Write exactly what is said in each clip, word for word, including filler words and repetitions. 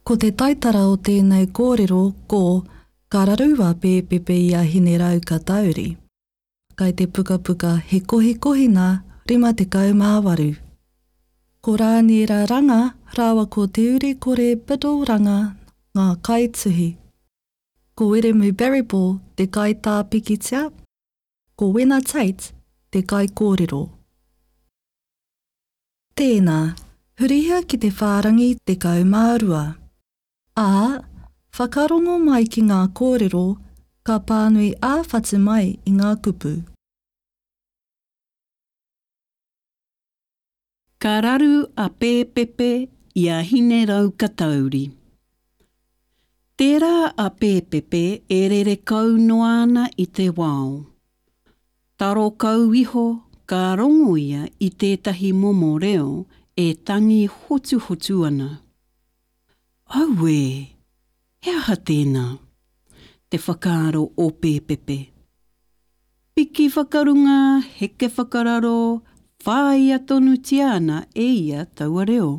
Ko te taitara o tēnei kōrero ko Ka raru a Pēpepe i a Hineraukatauri. Kai te pukapuka He Kohikohina rima tekau mā waru. Ko Rāniera Ranga rāua ko Te Urikore Biddle Ranga ngā kaituhi. Ko Wiremu Barryball te kaitā pikitia, ko Wena Tate te kaikōrero. Tēnā, hurihia ki te whārangi tekau mā rua. Ā, whakarongo mai ki ngā kōrero, ka pānui ā-whatu mai i ngā kupu. Ka raru a Pēpepe i a Hineraukatauri. Tērā a Pēpepe e rere kau noa ana i te wao. Taro kau iho ka rongo ia i tētahi momo reo e tangi hotuhotu ana. Auē! He aha tēnā? Te whakaaro o Pēpepe. Piki whakarunga, heke whakararo, whāia tonutia ana e ia taua reo.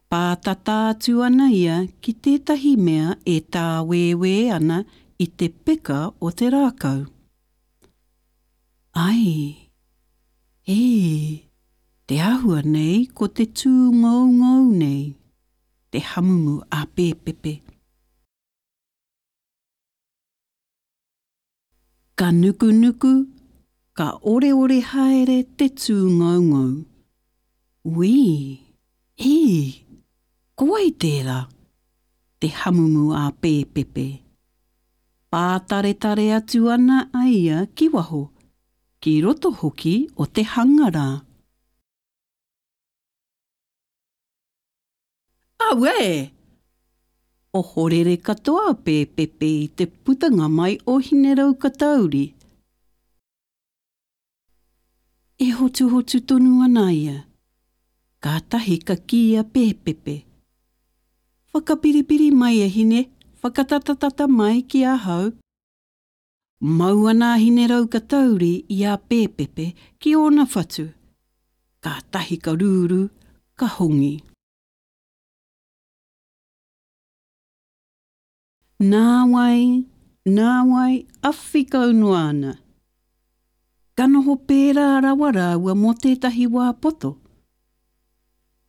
Pātata atu ana ia ki tētahi mea e tāwēwē ana i te peka o te rākau. Ai! Ē! Te āhua nei ko te tūngoungou nei, te hamumu a Pēpepe. Ka nukunuku, ka oreore haere te tūngoungou. Wī! Ī! Ko wai tērā? Te hamumu a Pēpepe. Pātaretare atu ana a ia ki waho, ki roto hoki o te hanga rā. Auē! Ohorere katoa a Pēpepe i te putanga mai o Hineraukatauri. E hotuhotu tonu ana ia. Kātahi ka kī a Pēpepe, Whakapiripiri mai e hine, whakatatatata mai ki ahau. Mau ana a Hineraukatauri i a Pēpepe ki ōna whatu. Kātahi ka rūrū, ka hongi. Nāwai, nāwai, awhi kau noa ana. Ka noho pērā rawa rāua mō tētahi wā poto.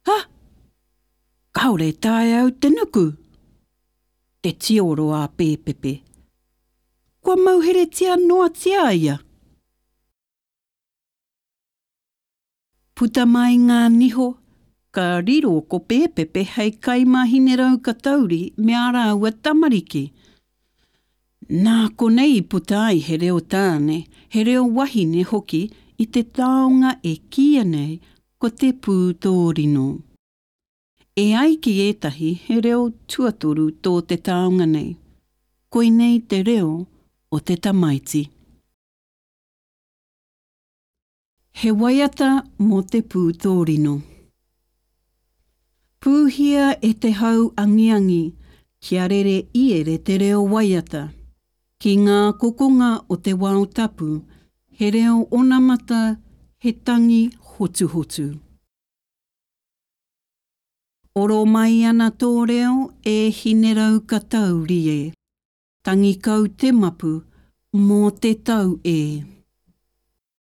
Ha! Kāore e taea au te nuku! Te tioro a Pēpepe. Kua mauheretia noatia ia! Puta mai ngā niho, ka riro ko Pēpepe hei kai mā Hineraukatauri me ā rāua tamariki. Nā konei i puta ai he reo tāne, he reo wahine hoki i te taonga e kīia nei ko te pūtōrino. E ai ki ētahi he reo tuatoru tō te taonga nei, koinei te reo o te tamaiti. He waiata mō te pūtōrino. Pūhia e te hau angiangi, kia rere iere te reo waiata. Ki ngā kokonga o te wao tapu, he reo onamata, he tangi hotuhotu. Oro mai ana tō reo e Hineraukatauri e. Tangi kau te mapu mō te tau e.